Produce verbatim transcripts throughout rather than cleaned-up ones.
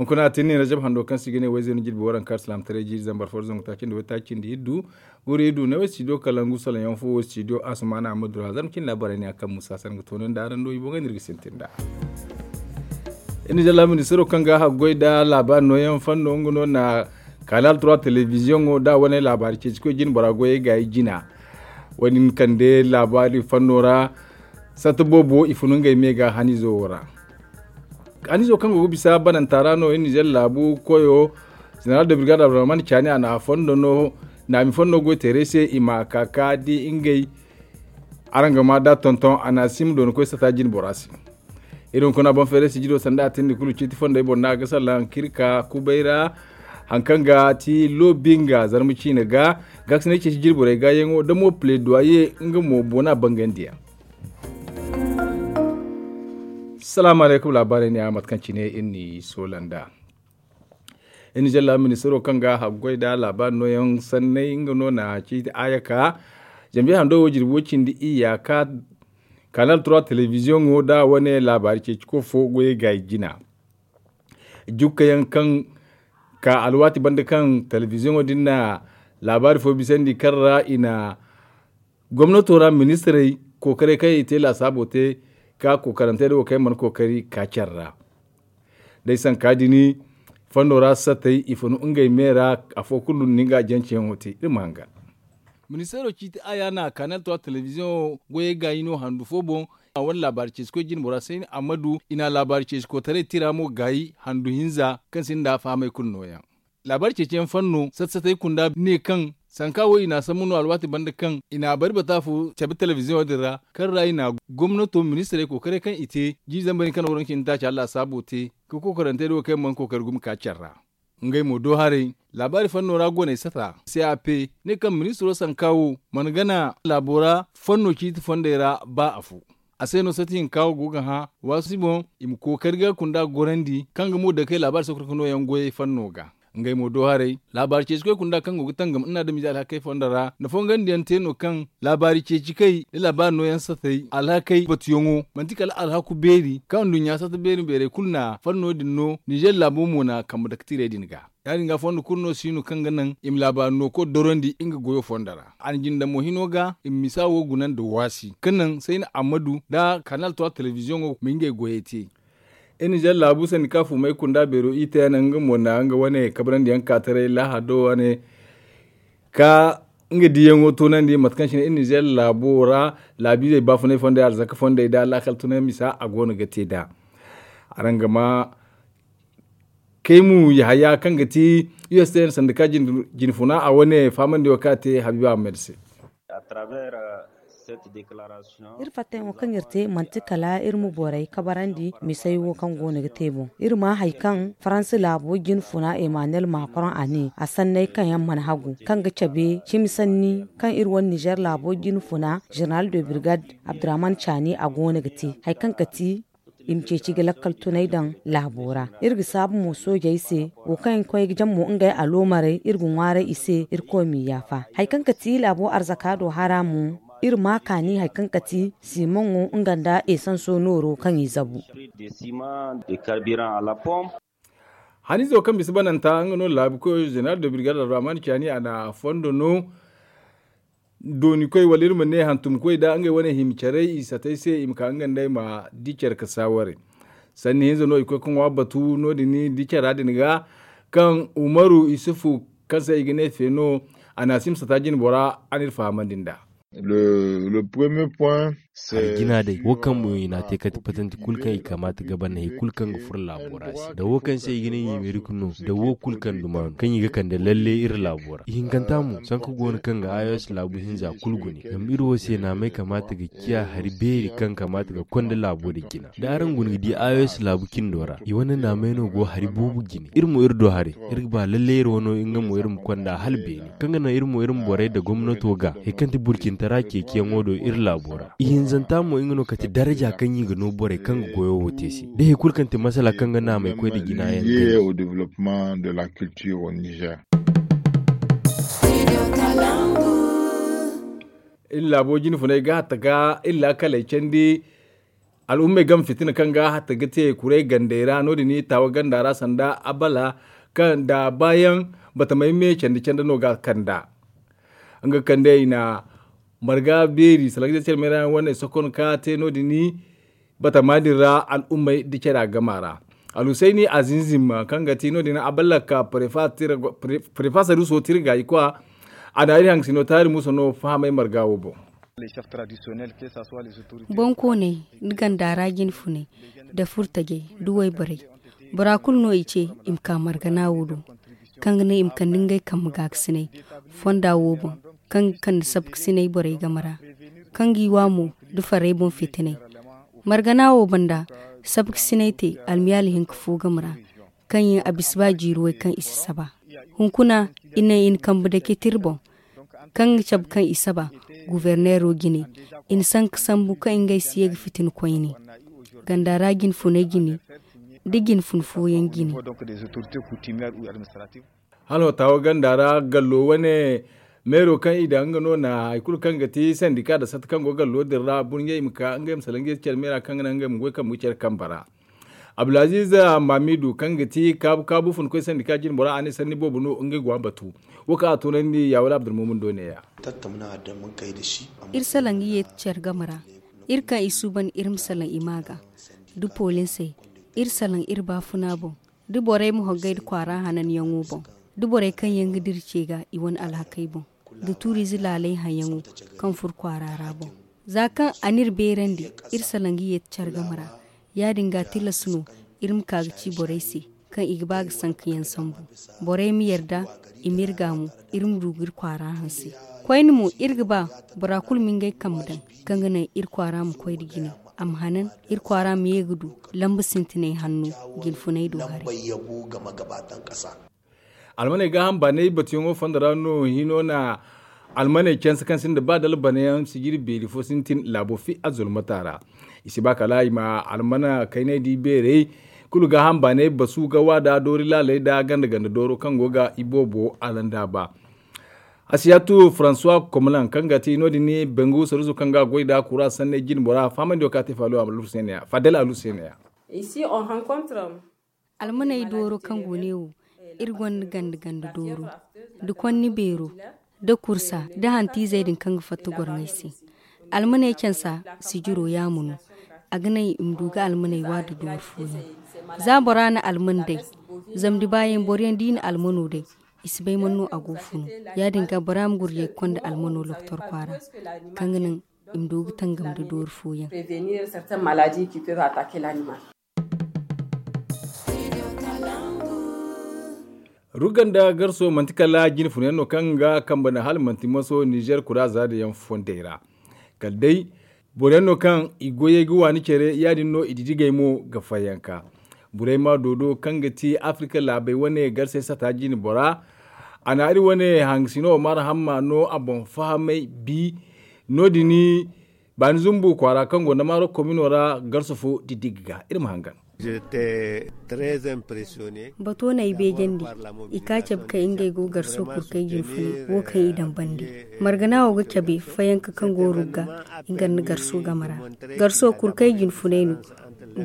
Hunkuna a tin ne rajab hando kaŋ se i ga ne wayzey no jirbi waranka alsilaamataray jiiri zambar fo da zangu taaci nda waytaaci nda iddu. Guri iddu ne way studio kalangu salaŋ yaŋ fo wo studio asumana amma dura zarma cin laabaarey ne a kaŋ musa sanda ga toonandi araŋ do i boŋ ga no iri ga sintin nd'a. Iri na jalla ministiro kaŋ ga haggoy nda laabaari nooyaŋ fanno nga no na kanal trois televiziyoŋo nda a wane laabaari ceeci koy jine bora goyey gaayi jina. Wo- din kande laabaari fanno ra. Satta boobo i fun ngey me ga hanizo wo ra. Hanizo kaŋ go ga bisa bananta ra no iri nizer laabu koyo, zeneral de birgad abdurrahman caani a na a fondo no naami fondo goy teeray se i ma a ka ka di ngey. Araŋ ga ma da tonton a na a si ma dooni koy sata jine bora se. Iri hunkuna boŋ feeray sijiro sanda a tindi kulu ciiti fondey boŋ no a ga salaŋ ka iri ka kubay ra. Haŋ kaŋ ga ti loobi nga zarma ciine ga gaasinay ceeci jirborey gaayaŋo da mo pledoyer nga mo boona bangandi yaŋ. Salaamu alaykum laabaarey ne a mate kaŋ cine iri n'i soola nd'a. Iri na jalla ministiro kaŋ ga haggoy nda laabaari nooyaŋ sanney nga no na ciiti aya ka. Zambiya hando wo jirbi wo cindi iyya ka kanal trois televiziyoŋo nda wane laabaari ceeci koy fo goyey gaayi jina. Jukka yaŋ kaŋ ka alwaati banda kaŋ televiziyoŋo din na laabaari fo bisandi kaŋ ra i na gomnato ra ministirey kookaray kaŋ i te laasaabo te ka kookarantey da wo kaŋ yaŋ mana kookari ka care ra. Day sanka din fondo ra satey i funu ngey me ra. Afo kulu no nga janceyaŋo te iri ma hanga. Ministeero ciiti aya na kanal trois televiziyoŋo goyey gaayi no handu fo boŋ. A wane laabaari ceeci koy jine bora sayni ammadu i na laabaari ceeci kootaray tira mo gaayi handu hinza kaŋ sinda fahamay kulu nooyaŋ. Laabaari ceeciyaŋ fanno sat-satey kunda ne kaŋ sanka wo i na a sambu no alwaati banda kaŋ i na a bari bata fo cabe televiziyoŋo din ra kaŋ ra i na gomnato ministirey kookaray kaŋ i te jiiri zambar hinka no waranka cindi taaci a laasaabo te ka kookarantey da wo kaŋ yaŋ mana kookari gumo ka care ra. Ngey mo do haray laabaari fanno ra gooney sata cap ne kaŋ ministiro sanka wo mana gana laabo ra fanno ciiti fondey ra ba afo. A se no sati hinka wo go ga hã waasi boŋ i ma kookari ga kunda gorandi kaŋ ga mo dake laabaari sokorka nooyaŋ goyey fanno ga. Ngey mo do haray laabaari ceeci koy kunda kaŋ go ga tangam nna adamize alhakey fondo ra nda fongandiyaŋ te no kaŋ laabaari ceeci kay nda laabaari nooyaŋ satey alhakey batuyaŋo manti kala alhaku beeri kaŋ nduɲɲa sata beeri beerey kulu na fanno din no nizer laabo mo na kambe dake tirey din ga. Ya- din ga fondo kulu no si no kaŋ ga naŋ i ma laabaari no koy dorandi nga goyo fondo ra a na jinde mo hino ga i ma misa wo guna nda waasi kaŋ naŋ sayna ammadu nda kanal trois televiziyoŋo ma ngey goyey te. Iri nizer laabu sandi ka fumay kunda beero i te yaŋ nga mo na nga wane kabrandi yaŋ ka taray lahado wane ka nga diyaŋo tunandi mate kaŋ cine iri nizer laabo ra laabiizey baafunay fondey arzaka fondey da laakal tunay misa a go no ga te nd'a. Araŋ ga ma kaymu yahaya kaŋ ga ti ustn sanda ka jinfuna a wane fahamandi wo kaŋ a te habiiba ahmed se. Iri fattayaŋo kaŋ iri te manti kala iri ma borey kabarandi misey wo kaŋ go no ga te boŋ iri ma hari kaŋ faransa laabo jinfuna emmanuel macron a ne a sanney kaŋ yaŋ mana hagu kaŋ ga cabe cimi sanni kaŋ iri wane nizer laabo jinfuna general de birgad abdurrahman chani a go no ga te hari kaŋ ga ti i ma ceeci ga lakkal tunay daŋ laabo ra. Iri ga saabu mo soojey se wo kaŋ yaŋ ga koy ga jam mo ngey aloomarey iri ga ŋwaaray i se irkoy m'i yaafa. Hari kaŋ ga ti laabo arzaka do hara mo iri ma kaani hari kaŋ ga ti simaŋo nga nda esanso nooro kaŋ i zabu. Haniizo kaŋ bisa bananta nga no laabu koyo zeneral de birgad abdurrahman caani a na fondo no. Dooni koy wala iri ma ne hantum koy da ngey wane hima care i satay se i ma ka nga nd'ey ma di care ka saaware. Sanni hinza no i koy ka ŋwa batu no- din di cara din ga kaŋ umaru isufu kaŋ se i ga ne feeno a na a si ma sata jine bora a n'iri fahamandi nd'a. Hari jina day wo kaŋ mo i n'a te kati patanti kulu kaŋ i kamaata ga ban hari kulu kaŋ ga furo laabo ra se da wo kaŋ se i ga ne i ma iri ga no da wo kulu kaŋ duma no kaŋ i ga kande lalle iri laabo ra ihinkanta mo sanka go no kaŋ ga ayos laabu hinza kulu gune zama iri wo se naamay kamaata ga ciya hari beeri kaŋ kamaata ga konda laabo din jina da araŋ guna ga di ayos laabu cindo ra i wane naamay no go hari boobo jine iri mo iri do haray iri ga ba lalle iri wano nga mo iri ma konda hala beene kaŋ ga naŋ iri mo iri ma borey nda gomnato ga hari kaŋ ti burcintara ceeciyaŋo do iri laabo ra ihinzanta mo nga no kate daraja kaŋ i ga no borey kaŋ ga goyo wo te se da hari kulu kaŋ ti masala kaŋ ga naamay koy nda jina yaŋ te. Iri laabo jine funay ga hatta ga iri laakaley candi. Al'ummey game fitina kaŋ ga hatta ga te kuray gandey ra no- din taawa ganda ra sanda abala kaŋ da baayaŋ batamey me candi candi no ga kand'a. Nga kande i na marga beeri salangizey care meera yaŋ wane sokon ka te no- din batama din ra al'ummey da care a gama ra. Alhusayni azinzim kaŋ ga ti no- din abala ka prefa saruso tirga i kwa. A na iri haŋ sino taari musa no fahamay marga wo boŋ. Bonkooney nda ganda ra jinfuney nda furtajey nda wayborey bora kulu no i ce i ma ka margana wo do, kaŋ ga naŋ i ma kande ngey kambe gaakasinay fonda wo boŋ, kaŋ ga kande sabkasinay borey game ra, kaŋ g'i wa mo nda farey boŋ fitinay. Margana wo banda, sabkasinay te almiyaali hinka fo game ra, kaŋ yaŋ a bisa ba jiiri way kaŋ i si saba. Hunkuna i naŋ i na kambe dake tira boŋ, kaŋ ga cabe kaŋ i saba guberneero jine. I na sanka sambu kaŋ ngey si ye ga fitina koyne ganda ra jinfuney jine, nda jinfun fooyaŋ jine. Hano taawa ganda ra gallo wane meero kaŋ i daŋ nga no na hari kulu kaŋ ga ti sandika nda satta kaŋ go gallo din ra burɲey i ma ka ngey ma salaŋ ngey care meera kaŋ ga naŋ ngey ma goy kambe ga care kambe ra. Abdulaziiz maamiidu kaŋ ga ti kaabu kaabu funkoy sandika jinbora a ne sanni boobo no ngey go a batu. Wo kaŋ a toonandi ya wala abdulmumin do ne- ya. Iri salaŋ ga yeeti care game ra. Iri kaŋ i suuban iri ma salaŋ i ma ga, da polinsey, iri salaŋ iri baafuna boŋ, da borey ma hoggay nda kwaara hananyaŋo boŋ, da borey kaŋ yaŋ ga dira ce ga i wane alhakey boŋ, da tuuriize laaley haŋyaŋo kaŋ furo kwaara ra boŋ. Za kaŋ a n'iri beerandi, iri salaŋ ga yeeti care game ra. Ya- din ga tilas no iri ma ka ga ci borey se kaŋ i ga ba ga sanka yaŋ sambu. Borey ma yarda, i m'iri gaamu, iri ma du ga iri kwaara hanse. Koyne mo iri ga ba bora kulu ma ngey kambe daŋ, kaŋ ga naŋ iri kwaara ma koy nda jine, a ma hanan, iri kwaara ma ye ga du lamba sintinay hanno jinfunay do haray. Almaney gaaham baanay batuyaŋo fondo ra no hino na almaney canse kaŋ sinda ba dala banayaŋ sijiri beeri fo sintin laabo fi a zulmata ra. I si ba kala i ma almana kaynay di beerey kulu gaaham baanay basu ga wa da doori laaley da ganda ganda dooro kaŋ go ga i boobo alanda ba. Asiyatu francois komlan kaŋ ga ti no- din bangu saruso kaŋ ga goy da kura sanney jinbora fahamandi wo ka te faalo a ma lursene ya fadel a lursene ya. Almaney dooro kaŋ go ne wo, iri gonda ganda ganda dooro, da konni beero, da kursa, da hantiizey din kaŋ ga fatta gorŋey se. Almaney cansa sijiro yaamo no. A ga naŋ i ma du ga almaney wa da dooro fooyaŋ. Za bora na alman day, zama da baayaŋ boro yaŋ da i na almano day, i si bay man no a go funu. Ya- din ga bora ma gurjay ga konda almano lokotor kwaara, kaŋ ga naŋ i ma du ga tangam da dooro fooyaŋ. Rugga nda garso manti kala jinfunayaŋ no kaŋ ga kambe no hala manti maso nizer kuraza da yaŋ fondey ra. Kala day boroyaŋ no kaŋ i goyey ga waani care ya- din no i didigey mo ga fayyanka. Borey ma doodo kaŋ ga ti afrika laabey wane garsey sata jinbora. A na iri wane hangasino omar hamma no a boŋ fahamay bi no- din baani zumbu kwaara kaŋ go nda maaro komino ra garso fo diddigga ga iri ma hangan. Bato no ay beejandi. I ka cabe kaŋ ngey go garso kurkay jinfunay wo kaŋ i daŋ bande. Margana wo ga cabe fayanka kaŋ go rugga nga nda garso game ra. Garso kurkay jinfunay no.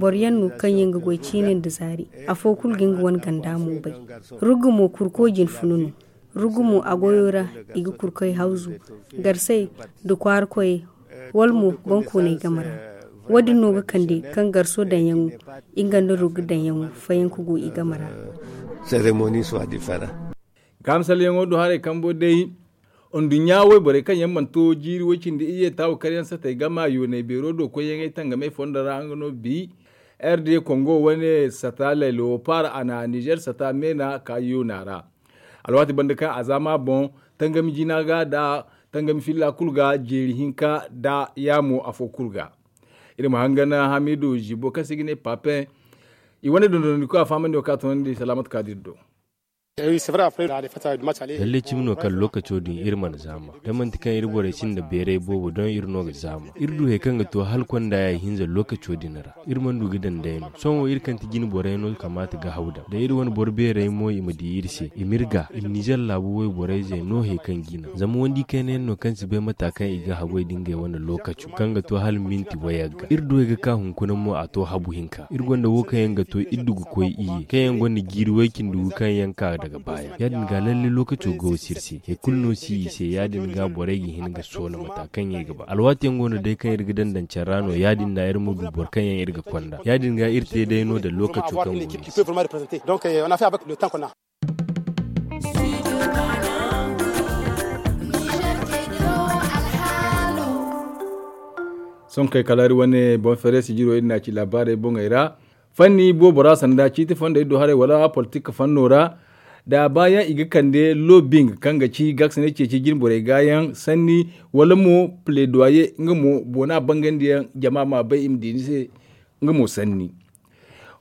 Boro yaŋ no kaŋ yaŋ ga goy ciine nda zaari. Afo kulu ga nga wane ganda mo bay. Rugga mo kurko jinfuna no. Rugu mo a goyo ra, i ga kurkoy hawzu, garsey, nda kwaara koyey, wala mo boŋkooney game ra. Wo- din no ga kande kaŋ garso daŋyaŋo, nga nda rugu daŋyaŋo fayanka go i game ra. Gahamsalyaŋo do haray kambo day. Nduɲɲa wayborey kaŋ yaŋ mana to jiiri way-cindi iyye taawu karyaŋ satey gama yoonay beero do koyyaŋey tangamey fondo ra nga no bi. R D kongo wane sata lay leopard a na nizer sata meena ka yoona ra. Alwaati banda kaŋ a zaama boŋ, tangami jina ga da tangami filla kulu ga jeeri hinka da yaamo afo kulu ga. Iri ma hangan hamidu zibo kaŋ se i ga ne papen. I wane dondonandiko a fahamandi wo kaŋ a toonandi salaamatu kaadiri do. Lalle cimi no kaŋ lookaco din iri mana zaama da manti kaŋ iri borey sinda beeray boobo doŋ iri no ga zaama. Iri du hari kaŋ ga to hala konda ya ihinza lookaco din ra iri mana du ga daŋ day no sohõ wo iri kaŋ ti jine borey no kamaata ga haw daŋ da iri wane boro beerey mo i ma di iri se i ma iri ga i ma nizer laabu wayborey zey no hari kaŋ ga i naŋ zama wandi kayna yaŋ no kaŋ si bay mata kaŋ i ga hagoy da ngey wane lookaco kaŋ ga to hala minti wayagga iri du hari ga ka hunkuna mo a to habu hinka iri gonda wo kaŋ yaŋ ga to iri du ga koy iyye kaŋ yaŋ gonda jiiri way-cindi gu kaŋ yaŋ ka daga baaya ya- din ga lalle lookaco ga wo sirse hari kulu no si i se ya- din ga borey ga hin ga soola mata kaŋ yaŋ i ga ba alwaati yaŋ go no day kaŋ iri ga daŋ daŋ care ra no ya- din da iri ma du boro kaŋ yaŋ iri ga konda ya- din ga iri te day no daŋ lookaco kaŋ go no i se. Sohõ kay kala iri wane boŋ feere sijiro iri na ci laabaarey boŋey ra. Fanni boobo ra sanda ciiti fondey do haray wala politik fanno ra da baayaŋ i ga kande lobing kaŋ ga ci gaasinay ceeci jinborey gaayaŋ sanni wala mo pledoyer nga mo boona bangandiyaŋ jama ma bay i ma di ni se. Nga mo sanni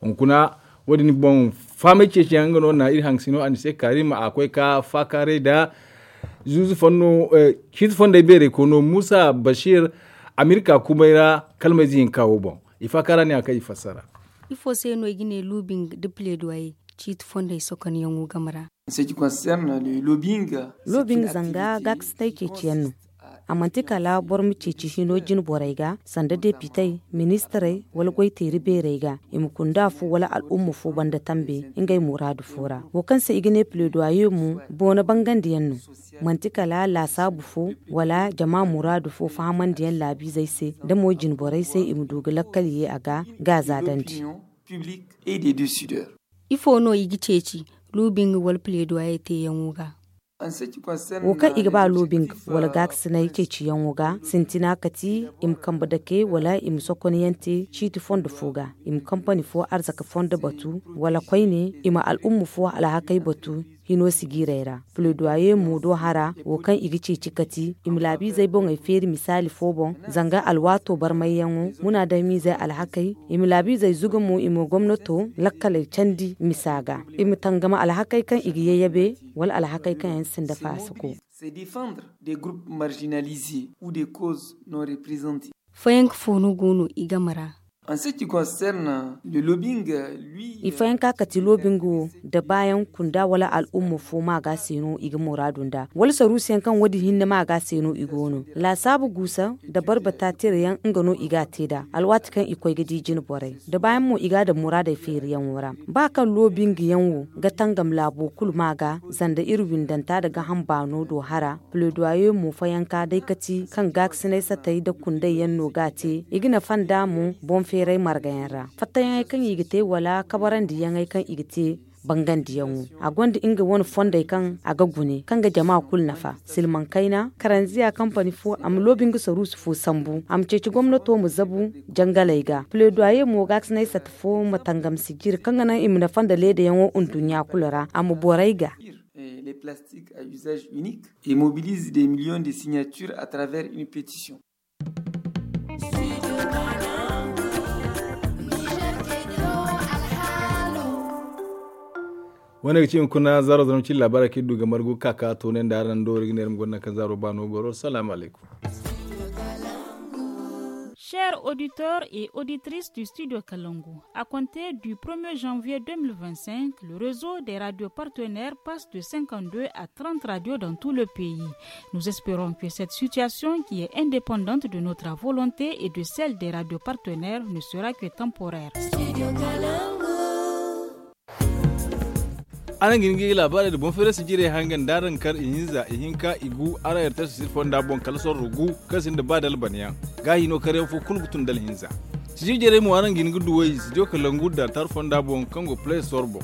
hunkuna wo- din boŋ faamay ceeciyaŋ nga no na iri haŋ sino a ni se kaarima a koy ka faakaaray da zuuzu fanno ciiti fondey beerey koy no muusa basiir amerika kumay ra kalmayze hinka wo boŋ. I faakaara ne a kaŋ i fassara. Ifo se no i ga ne luubing da pledoyer ciiti fondey sokonyaŋo game ra? Loobing zanga gaakasinay ceeciyaŋ no. A manti kala boro ma ceeci hino jine borey ga sanda depitey ministirey wala goyteeri beerey ga i ma kunda fo wala al'umma fo banda tambe ngey muraadu fo ra wo kaŋ se i ga ne pledoyer mo boona bangandiyaŋ no. Manti kala laasaabu fo wala jama muraadu fo fahamandiyaŋ laabiizey se da mo jine borey se i ma du ga lakkal ye a ga gaaza dandi. Ifo no i ga ceeci luubing wala pledoyer teeyaŋo ga? Wo kaŋ i ga ba luubing wala gaakasinay ceeciyaŋo ga sintina kati i ma kambe dake wala i ma sokonyaŋ te ciiti fondo fo ga i ma kampani fo arzaka fondo batu wala koyne i ma al'umma fo alhakey batu hino sijiirey ra. Pledoyer mo do hara wo kaŋ i ga ceeci kati i ma laabiizey boŋey feeri misaali fo boŋ zanga alwaato barmayyaŋo munaadamiizey alhakey i ma laabiizey zuga mo i ma gomnato lakkaley candi misa ga i ma tangama alhakey kaŋ i ga yayyabe wala alhakey kaŋ yaŋ sinda faasako. Fooyaŋ ka fo no go no i game ra? Ifayanka kati loobinga wo da baayaŋ kunda wala al'umma fo ma ga se no i ga muraadu nda wala saruusiyaŋ kaŋ wo- din hinne ma ga se no i go no. Laasaabu guusa nda barbata tirayaŋ nga no i ga a te nd'a alwaati kaŋ i koy ga di jine borey da baayaŋ mo i ga a daŋ muraadey feeriyaŋo ra. Ba kaŋ loobingayaŋ wo ga tangam laabo kulu ma ga zanda iri windanta nda gaham baano do hara. Pledoyer mo fayanka day kati kaŋ gaakasinay satey nda kundey yaŋ no ga a te i ga nafa nd'a mo boŋ feeray margayaŋ ra fattayaŋey kaŋ i ga te wala kabarandiyaŋey kaŋ i ga te. Bangandiyaŋo a gonda nga wane fondey kaŋ a ga gune kaŋ ga jama kulu nafa silmaŋ kayna karanziya kampani fo a ma loobi nga saruusi fo sambu a ma ceeci gomnato ma zabu jangaley ga pledoyer mo gaakasinay sata fo ma tangam sijiri kaŋ ga naŋ i ma nafa nda leedayaŋo nduɲɲa kulu ra a ma borey ga. Les plastiques à usage unique et mobilise des millions de signatures à travers une pétition. Wane ga ci hunkuna zaaro zaram cine laabaara kaŋ iri du ga margu ga ka ka toonandi araŋ do iri ga ne iri ma gonda nangu kaŋ zaaro ba no goro salaamu alaykum. Chers auditeurs et auditrices du studio Kalangu, à compter du premier janvier deux mille vingt-cinq, le réseau des radios partenaires passe de cinquante-deux à trente radios dans tout le pays. Nous espérons que cette situation, qui est indépendante de notre volonté et de celle des radios partenaires, ne sera que temporaire. Araŋ ga hin ga laabaarey nda boŋ feerasi jirey hangan da araŋ kar ihinza ihinka igu araŋ ertasi siri fonda boŋ kala sorro gu kaŋ sinda ba da albanyaŋ. Gaahi no karyaŋ fo kulu ga tun da alhinza. Sijiri jarey mo araŋ ga hin ga duw'ey studio kalangu da tar fonda boŋ kaŋ go play store boŋ.